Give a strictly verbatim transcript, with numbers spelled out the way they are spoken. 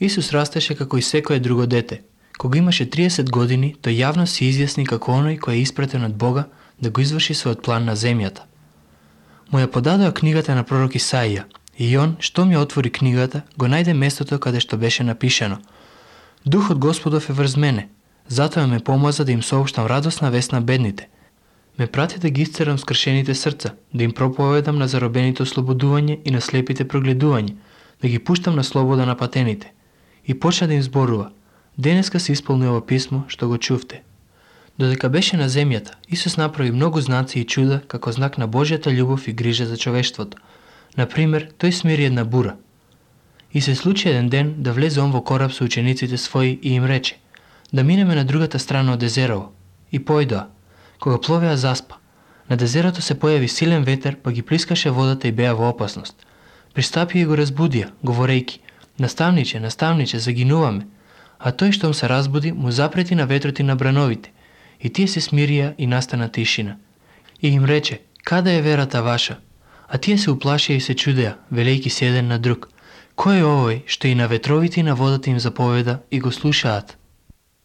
Исус растеше како и секое друго дете. Кога имаше триесет години, тој јавно се изјасни како оној кој е испратен од Бога да го изврши својот план на земјата. Му ја подадоа книгата на пророк Исаија, и он, што ми отвори книгата, го најде местото каде што беше напишано: Духот Господов е врз мене, затоа ме помаза да им соопштам радосна вест на бедните. Ме прати да ги исцерам скршените срца, да им проповедам на заробените ослободување и на слепите прогледување, да ги пуштам на слобода на патените. И почна да им зборува: денеска се исполни ова писмо што го чувте. Додека беше на земјата, Исус направи многу знаци и чуда како знак на Божјата љубов и грижа за човештвото. Например, тој смири една бура. И се случи еден ден да влезе он во кораб со учениците своји и им рече: да минеме на другата страна од езерово. И појдоа. Кога пловеа заспа. На дезерото се појави силен ветер, па ги плискаше водата и беа во опасност. Пристапија и го разбудија, говорејќи: наставниче, наставниче, загинуваме. А тој штом се разбуди, му запрети на ветрот и на брановите. И тие се смирија и настана тишина. И им рече: каде е верата ваша? А тие се уплашија и се чудеа, велејќи се еден на друг: кој е овој што и на ветровите и на водата им заповеда и го слушаат?